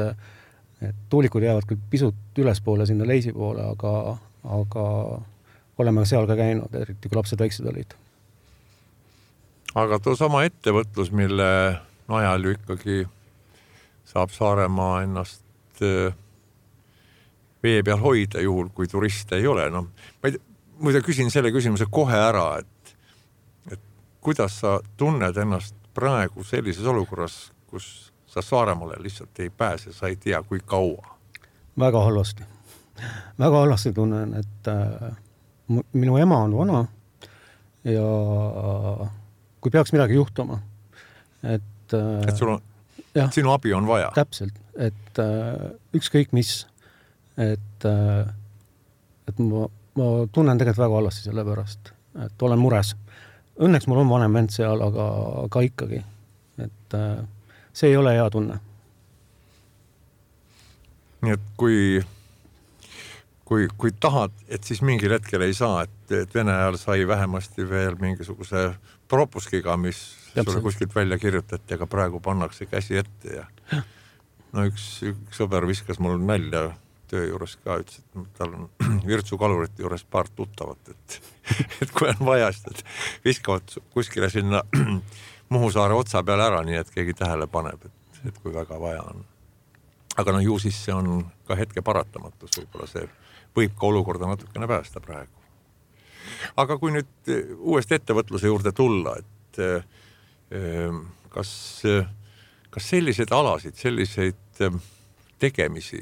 tuulikud jäävad küll pisut ülespoole sinna leisi poole, aga oleme seal ka käinud, eriti kui lapsed väiksed olid. Aga too sama ettevõtlus, mille najal ju ikkagi saab Saaremaa ennast vee peal hoida juhul, kui turiste ei ole. Ma küsin selle küsimuse kohe ära, et kuidas sa tunned ennast praegu sellises olukorras, kus sa Saaremaale lihtsalt ei pääse, sa ei tea, kui kaua? Väga halvasti. Väga halvasti tunnen, et minu ema on vana ja kui peaks midagi juhtuma, et sul on, sinu abi on vaja. Täpselt, et ükskõik mis, et ma tunnen tegelikult väga halvasti selle pärast, et olen mures. Õnneks mul on vanem vend seal, aga ikkagi, et see ei ole hea tunne. Nii et kui tahad, et siis mingil hetkel ei saa, et Vene ajal sai vähemasti veel mingisuguse propuskiga, mis sulle kuskilt välja kirjutati, aga praegu pannakse käsi ette ja üks sõber viskas mul nalja töö juures ka, ütles, et tal on Virtsu kalurite juures paar tuttavat, et kui on vaja, et viskavad kuskile sinna Muhu saare otsa peale ära, nii et keegi tähele paneb, et kui väga vaja on. Aga ju siis see on ka hetke paratamatus, võib-olla see võib ka olukorda natukene päästa praegu. Aga kui nüüd uuesti ettevõtluse juurde tulla, et kas selliseid alasid, selliseid tegemisi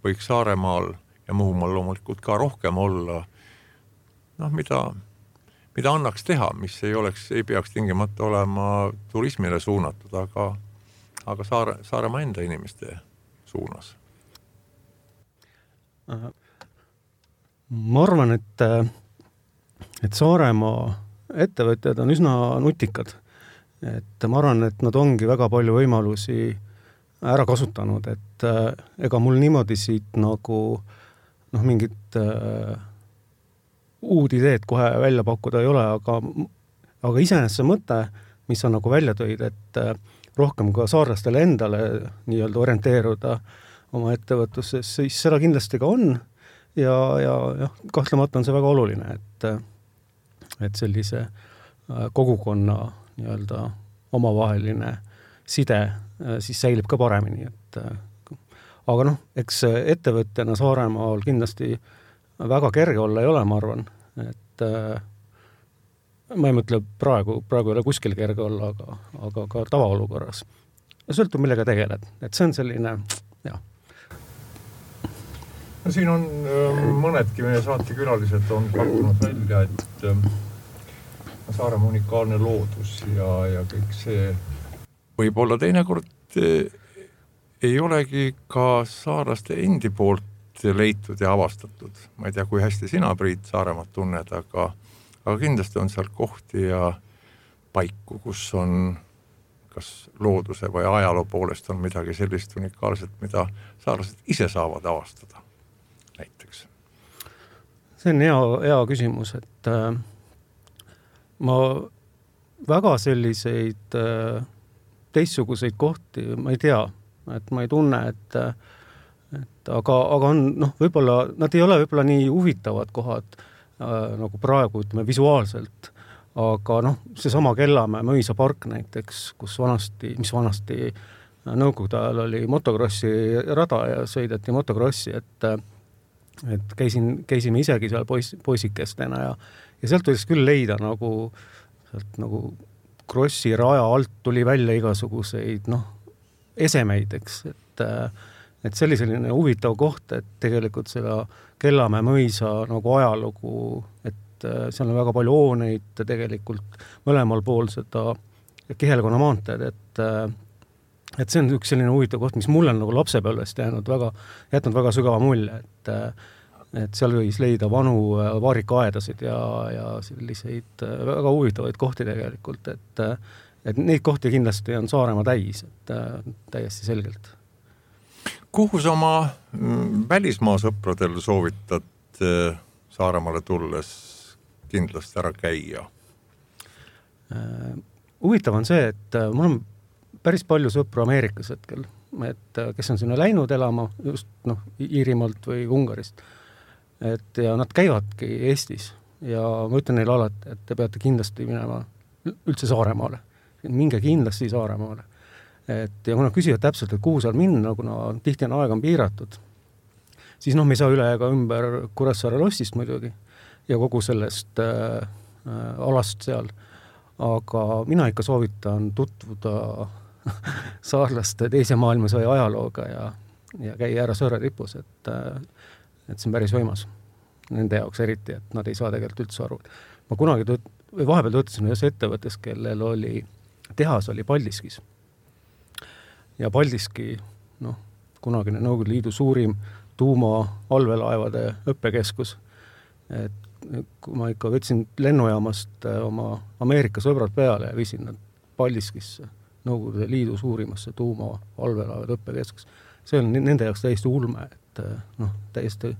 võiks Saaremaal ja Muhumaal loomulikult ka rohkem olla, mida annaks teha, mis ei peaks tingimata olema turismile suunatud, aga Saaremaa enda inimeste suunas? Ma arvan, et Saaremaa ettevõtjad on üsna nutikad. Et ma arvan, et nad ongi väga palju võimalusi ära kasutanud, et ega mul niimoodi siit nagu mingit uud ideed kohe välja pakkuda ei ole, aga iseenesest see mõte, mis on nagu välja tõid, et rohkem ka saarlastele endale nii-öelda orienteeruda oma ettevõtluses, siis seda kindlasti ka on ja kahtlemata on see väga oluline, et sellise kogukonna nii-öelda omavaheline side siis säilib ka paremini, aga eks ettevõtjana Saaremaal kindlasti väga kerge olla ei ole, ma arvan, et ma ei mõtle praegu ei ole kuskil kerge olla, aga ka tavaolukorras. Sõltub millega tegeled, et see on selline, No siin on mõnedki meie saatekülalised on pakkunud välja, et Saaremaa unikaalne loodus ja kõik see võib-olla teinekord ei olegi ka saarlaste endi poolt leitud ja avastatud. Ma ei tea, kui hästi sina, Priit, Saaremaad tunned, aga kindlasti on seal kohti ja paiku, kus on kas looduse või ajaloo poolest on midagi sellist unikaalset, mida saarlased ise saavad avastada näiteks. See on hea küsimus, et ma väga selliseid teistsuguseid kohti ma ei tea, et ma ei tunne, aga on, võib-olla nad ei ole võib-olla nii huvitavad kohad nagu praegu, ütleme, visuaalselt, aga seesama Kellamäe mõisapark näiteks, mis vanasti nõukogude ajal oli motokrossi rada ja sõideti motokrossi, et käisime isegi seal poisikestena ja sealt võiks küll leida nagu krossi raja alt tuli välja igasuguseid esemeid, eks, et selline huvitav koht, et tegelikult seda Kellamäe mõisa nagu ajalugu, et seal on väga palju hooneid tegelikult mõlemal pool seda Kihelkonna maanteed, et see on üks selline huvitav koht, mis mulle on nagu lapsepõlvest jätnud väga sügava mulje, et seal võis leida vanu vaarikaaedasid ja selliseid väga huvitavaid kohti tegelikult, et neid kohti kindlasti on Saaremaa täis, et täiesti selgelt. Kuhu sa oma välismaa sõpradel soovitad Saaremaale tulles kindlasti ära käia? Huvitav on see, et mul on päris palju sõpru Ameerikas hetkel, et kes on sinna läinud elama just Iirimaalt või Ungarist. Ja nad käivadki Eestis ja ma ütlen neile alati, et te peate kindlasti minema üldse Saaremaale. Minge kindlasti Saaremaale. Ja kui nad küsivad täpselt, et kuhu seal minna, kuna tihti on aeg on piiratud, siis me ei saa üle ega ümber Kuressaare lossist muidugi ja kogu sellest alast seal. Aga mina ikka soovitan tutvuda saarlaste teise maailmasõja ajalooga ja käia ära Sõõre tipus, et see on päris võimas nende jaoks eriti, et nad ei saa tegelikult üldse aru. Ma kunagi vahepeal töötasin ühes ettevõttes, kellel tehas oli Paldiskis. Ja Paldiski, kunagine Nõukogude Liidu suurim tuuma allveelaevade õppekeskus. Et kui ma ikka võtsin lennujaamast oma Ameerika sõbrad peale ja viisin nad Paldiskisse, Nõukogude Liidu suurimasse tuuma allveelaevade õppekeskus. See on nende jaoks täiesti ulme, täiesti,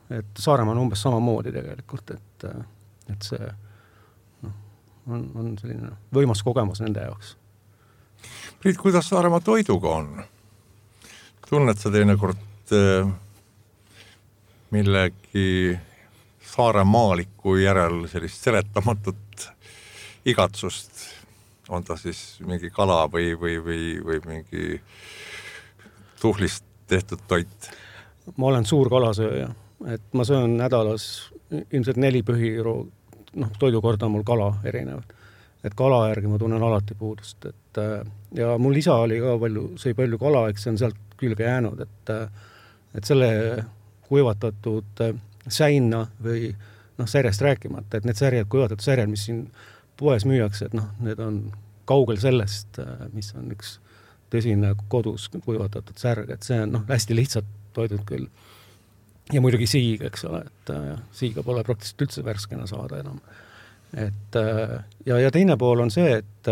et Saaremaa on umbes samamoodi tegelikult, et see on selline võimas kogemus nende jaoks. Priit, kuidas Saaremaa toiduga on? Tunned sa teinekord millegi saaremaaliku järel sellist seletamatut igatsust? On ta siis mingi kala või mingi tuhlist tehtud toit? Ma olen suur kalasööja, et ma söön nädalas ilmselt 4 põhiru, toidukorda on mul kala erinevad. Et kala järgi ma tunnen alati puudust. Ja mul isa oli ka sõi palju kala, eks see on sealt külge jäänud, et selle kuivatatud säina või särjest rääkimata, et need kuivatatud särjad, mis siin poes müüakse, et need on kaugel sellest, mis on üks tõsine kodus kuivatatud särg, et see on hästi lihtsalt toidud küll. Ja muidugi siig, eks ole, et siiga pole praktiliselt üldse värskena saada enam. Ja teine pool on see, et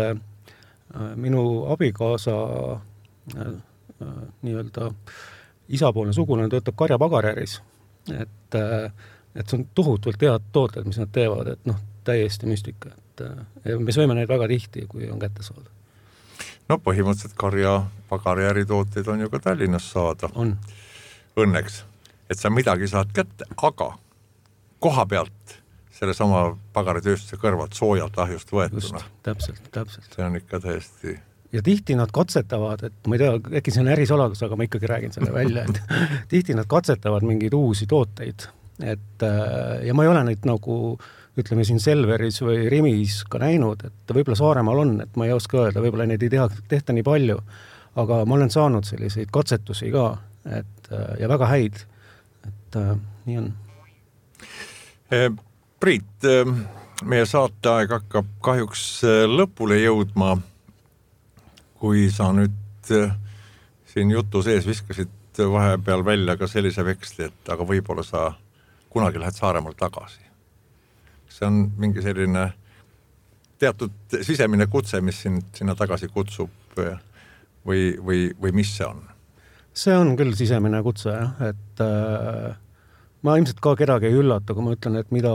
minu abikaasa nii-öelda isapoolne sugulane töötab karjapagarjäris, et see on tohutult head tooted, mis nad teevad, et täiesti müstika, et me sööme neid väga tihti, kui on kätte saada. Põhimõtteliselt karjapagarjäri tooteid on ju ka Tallinnas saada. On. Õnneks, et sa midagi saad kätte, aga koha pealt selle sama pagaritööstuse kõrvalt soojalt ahjust võetuna. Just, täpselt. See on ikka täiesti... Ja tihti nad katsetavad, et ma ei tea, äkki see on ärisaladus, aga ma ikkagi räägin selle välja, et tihti nad katsetavad mingeid uusi tooteid. Ja ma ei ole neid nagu, ütleme siin Selveris või Rimis ka näinud, et võib-olla Saaremaal on, et ma ei oska öelda, võib-olla neid ei tehta nii palju, aga ma olen saanud selliseid katsetusi ka, ja väga häid. nii on. Priit, meie saateaeg hakkab kahjuks lõpule jõudma. Kui sa nüüd siin jutu sees viskasid vahepeal välja ka sellise veksli, et aga võib-olla sa kunagi lähed Saaremaal tagasi. See on mingi selline teatud sisemine kutse, mis sinna tagasi kutsub või mis see on? See on küll sisemine kutse, et ma ilmselt ka kedagi ei üllata, kui ma ütlen, et mida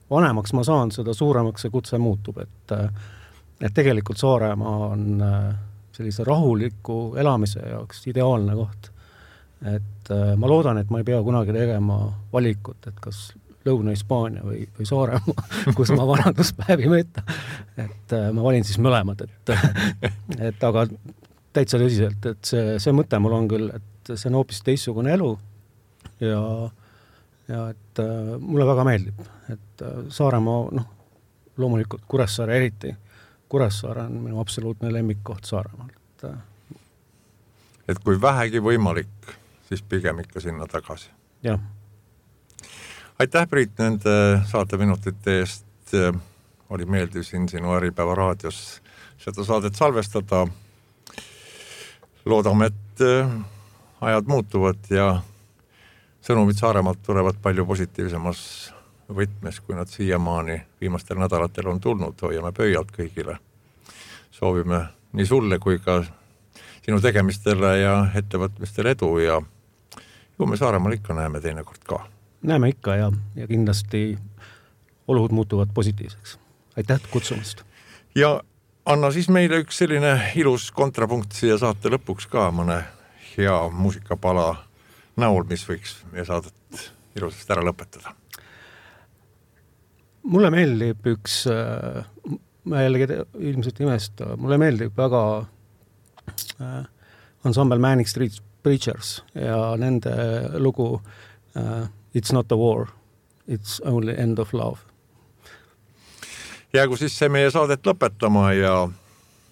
vanemaks ma saan, seda suuremaks see kutse muutub, et tegelikult Saaremaa on sellise rahuliku elamise jaoks ideaalne koht. Et ma loodan, et ma ei pea kunagi tegema valikut, et kas Lõuna-Hispaania või Saaremaa, kus ma vanaduspäevi veeta. Et ma valin siis mõlemad, et aga täitsa tõsiselt, et see mõte mul on küll, et see on hoopis teistsugune elu ja et mulle väga meeldib, et Saaremaa, loomulikult Kuressaare eriti. Kuressaare on minu absoluutne lemmikkoht Saaremaal. Et kui vähegi võimalik, siis pigem ikka sinna tagasi. Jah. Aitäh, Priit, nende saateminutite eest. Oli meeldiv siin sinu Äripäeva raadios seda saadet salvestada. Loodame, et ajad muutuvad ja sõnumid Saaremaalt tulevad palju positiivsemas võtmes, kui nad siiamaani viimastel nädalatel on tulnud. Hoiame pöialt kõigile. Soovime nii sulle kui ka sinu tegemistele ja ettevõtmistele edu ja ju me Saaremaal ikka näeme teinekord ka. Näeme ikka ja kindlasti olud muutuvad positiivseks. Aitäh kutsumast. Ja anna siis meile üks selline ilus kontrapunkt siia saate lõpuks ka, mõne hea muusikapala näol, mis võiks meie saadet ilusasti ära lõpetada. Mulle meeldib üks, ma jällegi ilmselt imesta, mulle meeldib väga ensemble Manic Street Preachers ja nende lugu It's not a war, it's only end of love. Jäägu siis see meie saadet lõpetama ja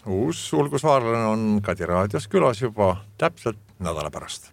uus Ulgusvaarlane on Kadi raadios külas juba täpselt nädala pärast.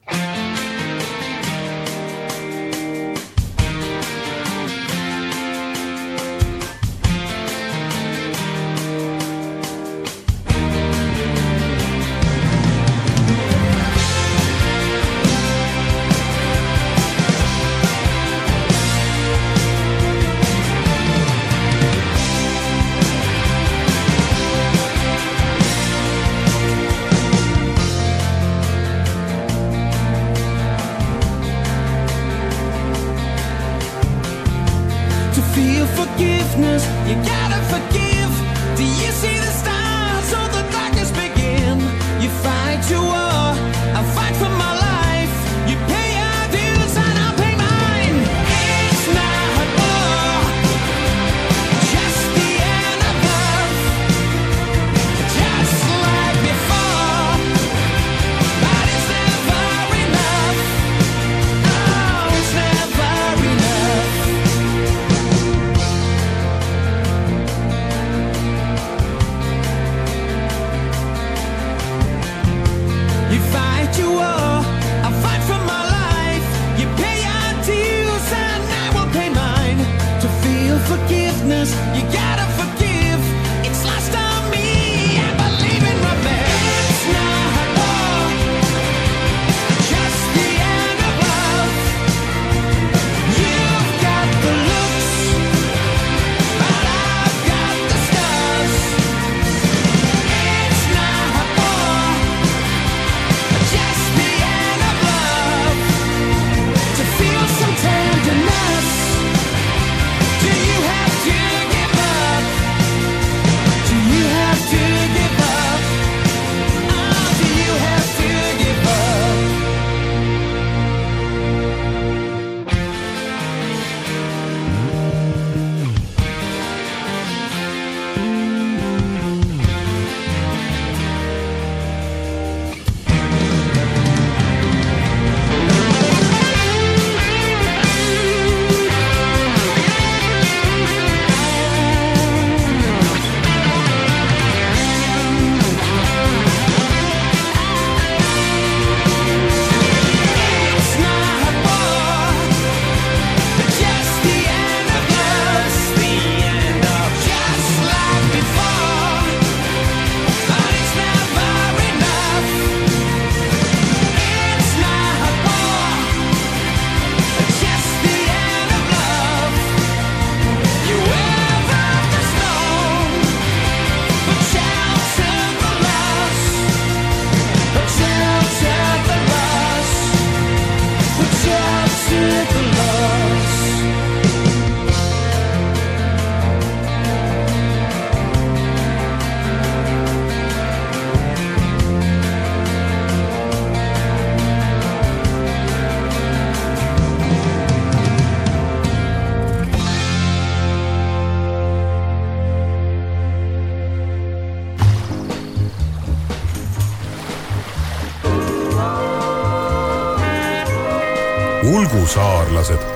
Ulgusaarlased